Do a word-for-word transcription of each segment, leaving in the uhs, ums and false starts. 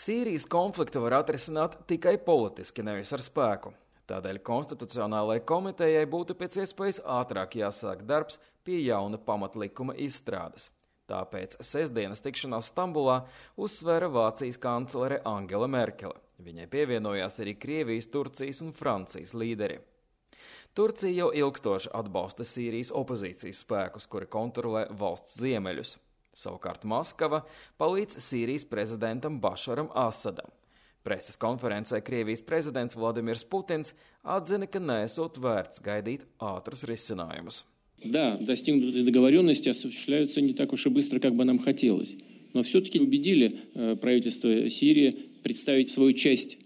Sīrijas konfliktu var atrisināt tikai politiski, nevis ar spēku. Tādēļ Konstitucionālajai komitejai būtu pēc iespējas ātrāk jāsāk darbs pie jauna pamatlikuma izstrādes. Tāpēc sestdienas tikšanās Stambulā uzsvēra Vācijas kanclere Angela Merkele. Viņai pievienojās arī Krievijas, Turcijas un Francijas līderi. Turcija jau ilgstoši atbalsta Sīrijas opozīcijas spēkus, kuri kontrolē valsts ziemeļus. Savukārt Maskava palīdz Sīrijas prezidentam Bašaram Asadam. Preses konferencē Krievijas prezidents Vladimirs Putins atzina, ka nesot vērts gaidīt ātrus risinājumus. Да, достигнутые договоренности осуществляются не так уж и быстро, как бы нам хотелось. Но все-таки убедили правительство Сирии представить свою часть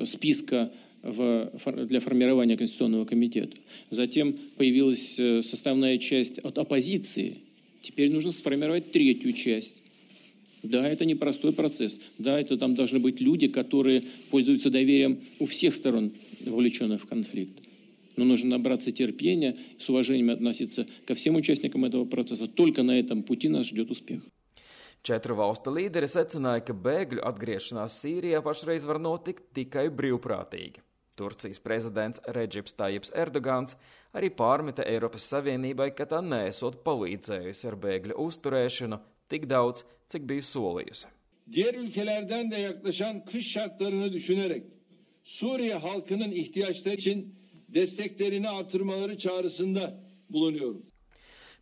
списка в, для формирования Конституционного комитета. Затем появилась составная часть от оппозиции. Теперь нужно сформировать третью часть. Да, это непростой процесс. Да, это там должны быть люди, которые пользуются доверием у всех сторон, вовлеченных в конфликт. Но нужно набраться терпения, с уважением относиться ко всем участникам этого процесса. Только на этом пути нас ждет успех. Četru valstu līderi secināja, ka bēgļu atgriešanās Sīrijā pašreiz var notikt tikai brīvprātīgi. Turcijas prezidents Redžips Tajips Erdogans arī pārmeta Eiropas Savienībai, ka tā neesot palīdzējusi ar bēgļu uzturēšanu tik daudz, cik bija solījusi. Diğer ülkelerden de yaklaşan kış şartlarını düşünerek Suriye halkının ihtiyaçları için desteklerini artırmaları çağrısında bulunuyorum.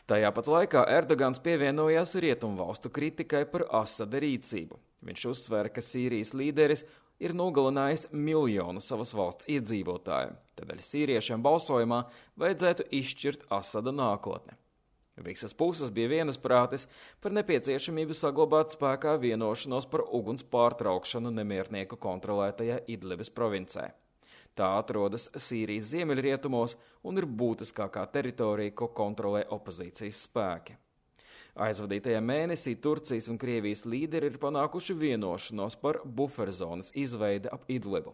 Tajā pat laikā Erdogans pievienojās rietumvalstu kritikai par Asada rīcību. Viņš uzsvēra, ka Sīrijas līderis ir nogalinājis miljonu savas valsts iedzīvotāju. Tādēļ sīriešiem balsojumā vajadzētu izšķirt Asada nākotni. Visas puses bija vienasprātis par nepieciešamību saglabāt spēkā vienošanos par uguns pārtraukšanu nemiernieku kontrolētajā Idlibas provincē. Tā atrodas Sīrijas ziemeļrietumos un ir būtiskākā teritorija, ko kontrolē opozīcijas spēki. Aizvadītajā mēnesī Turcijas un Krievijas līderi ir panākuši vienošanos par buferzonas izveidi ap Idlibu.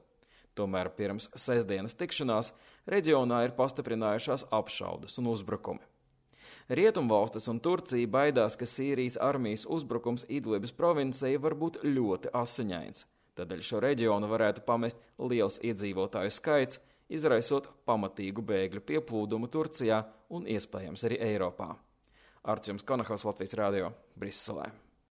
Tomēr pirms sestdienas tikšanās reģionā ir pastiprinājušās apšaudes un uzbrukumi. Rietumvalstis un Turcija baidās, ka Sīrijas armijas uzbrukums Idlibas provincei var būt ļoti asiņains. Tādēļ šo reģionu varētu pamest liels iedzīvotāju skaits, izraisot pamatīgu bēgļu pieplūdumu Turcijā un iespējams arī Eiropā. Artjums Konahos, Latvijas radio, Briselē.